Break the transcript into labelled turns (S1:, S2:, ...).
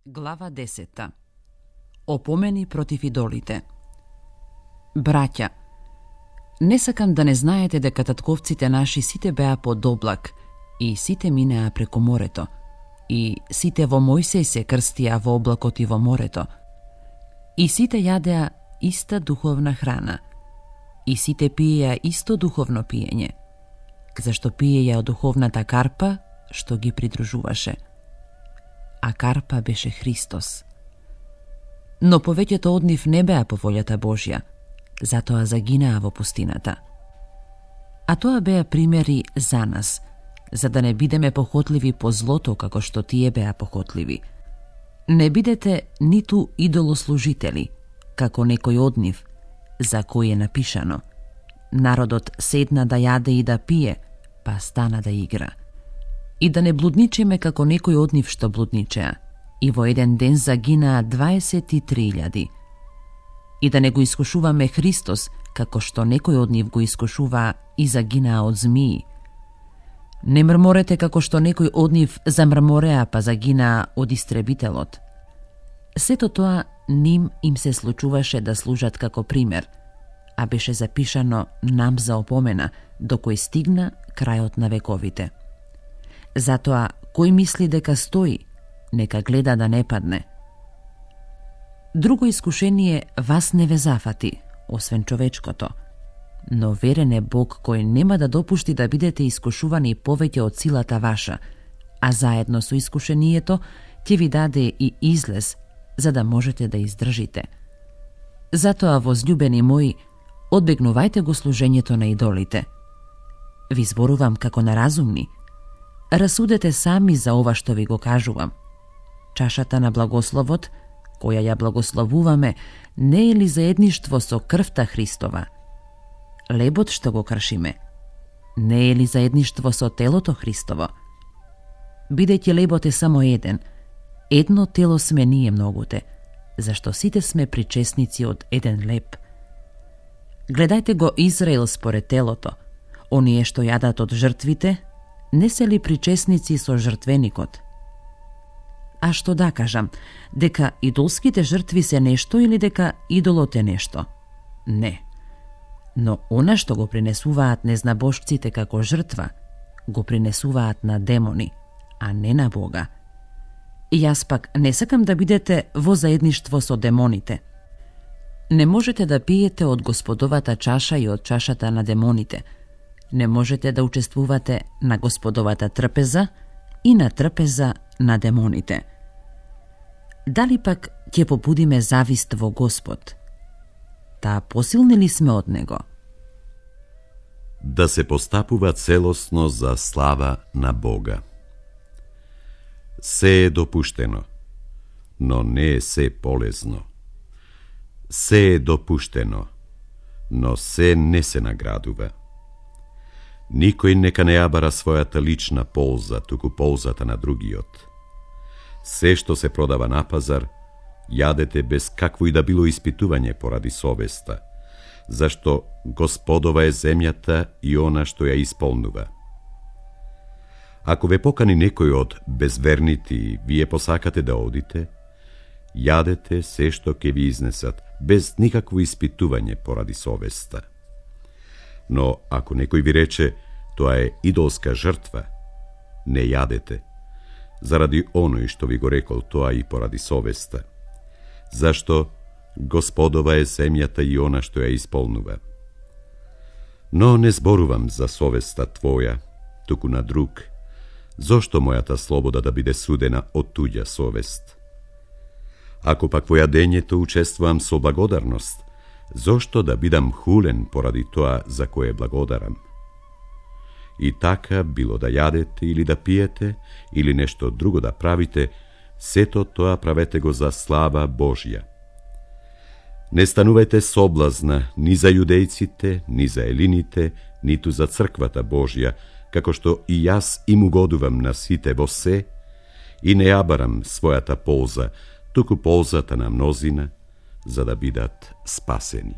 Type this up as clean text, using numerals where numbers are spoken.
S1: Глава 10. Опомени против идолите. Браќа, не сакам да не знаете дека татковците наши сите беа под облак и сите минеа преку морето и сите во Мојсеј се крстија во облакот и во морето и сите јадеа иста духовна храна и сите пиеја исто духовно пиење, зашто пиеја од духовната карпа што ги придружуваше. А карпа беше Христос. Но повеќето од нив не беа по волјата Божја, затоа загинаа во пустината. А тоа беа примери за нас, за да не бидеме похотливи по злото како што тие беа похотливи. Не бидете ниту идолослужители, како некој од нив, за кој е напишано: народот седна да јаде и да пие, па стана да игра. И да не блудничиме како некој од нив што блудничеа, и во еден ден загинаа 23.000. И да не го искушуваме Христос, како што некој од нив го искушуваа и загинаа од змии. Не мрморете како што некој од нив замрмореа па загинаа од истребителот. Сето тоа ним им се случуваше да служат како пример, а беше запишано нам за опомена, до кој стигна крајот на вековите. Затоа, кој мисли дека стои, нека гледа да не падне. Друго искушение вас не ве зафати, освен човечкото, но верен е Бог кој нема да допушти да бидете искушувани повеќе од силата ваша, а заедно со искушението ќе ви даде и излез, за да можете да издржите. Затоа, возлюбени мои, одбегнувајте го служењето на идолите. Ви зборувам како на разумни. Расудете сами за ова што ви го кажувам. Чашата на благословот, која ја благословуваме, не е ли заедништво со крвта Христова? Лебот што го кршиме, не е ли заедништво со телото Христово? Бидејќи лебот е само еден, едно тело сме ние многуте, зашто сите сме причесници од еден леб. Гледајте го Израел според телото, оние што јадат од жртвите, не се ли причесници со жртвеникот? А што да кажам, дека идолските жртви се нешто или дека идолот е нешто? Не. Но она што го принесуваат незнабожците како жртва, го принесуваат на демони, а не на Бога. И јас пак не сакам да бидете во заедништво со демоните. Не можете да пиете од Господовата чаша и од чашата на демоните. Не можете да учествувате на Господовата трпеза и на трпеза на демоните. Дали пак ќе побудиме завист во Господ? Таа посилни ли сме од Него?
S2: Да се постапува целосно за слава на Бога. Се е допуштено, но не е се полезно. Се е допуштено, но се не се наградува. Никој нека не ја бара својата лична полза, туку ползата на другиот. Се што се продава на пазар, јадете без какво и да било испитување поради совеста, зашто Господова е земјата и она што ја исполнува. Ако ве покани некој од безверните и вие посакате да одите, јадете се што ќе ви изнесат, без никакво испитување поради совеста. Но ако некој ви рече, тоа е идолска жртва, не јадете, заради оној што ви го рекол тоа и поради совеста, зашто Господова е земјата и она што ја исполнува. Но не зборувам за совеста твоја, туку на друг, зошто мојата слобода да биде судена од туѓа совест? Ако пак во јадењето учествувам со благодарност, зошто да бидам хулен поради тоа за кое благодарам? И така, било да јадете или да пиете, или нешто друго да правите, сето тоа правете го за слава Божја. Не станувајте соблазна ни за јудејците, ни за елините, ниту за црквата Божја, како што и јас им угодувам на сите во се, и не ја барам својата полза, туку ползата на мнозина, за да бидат спасени.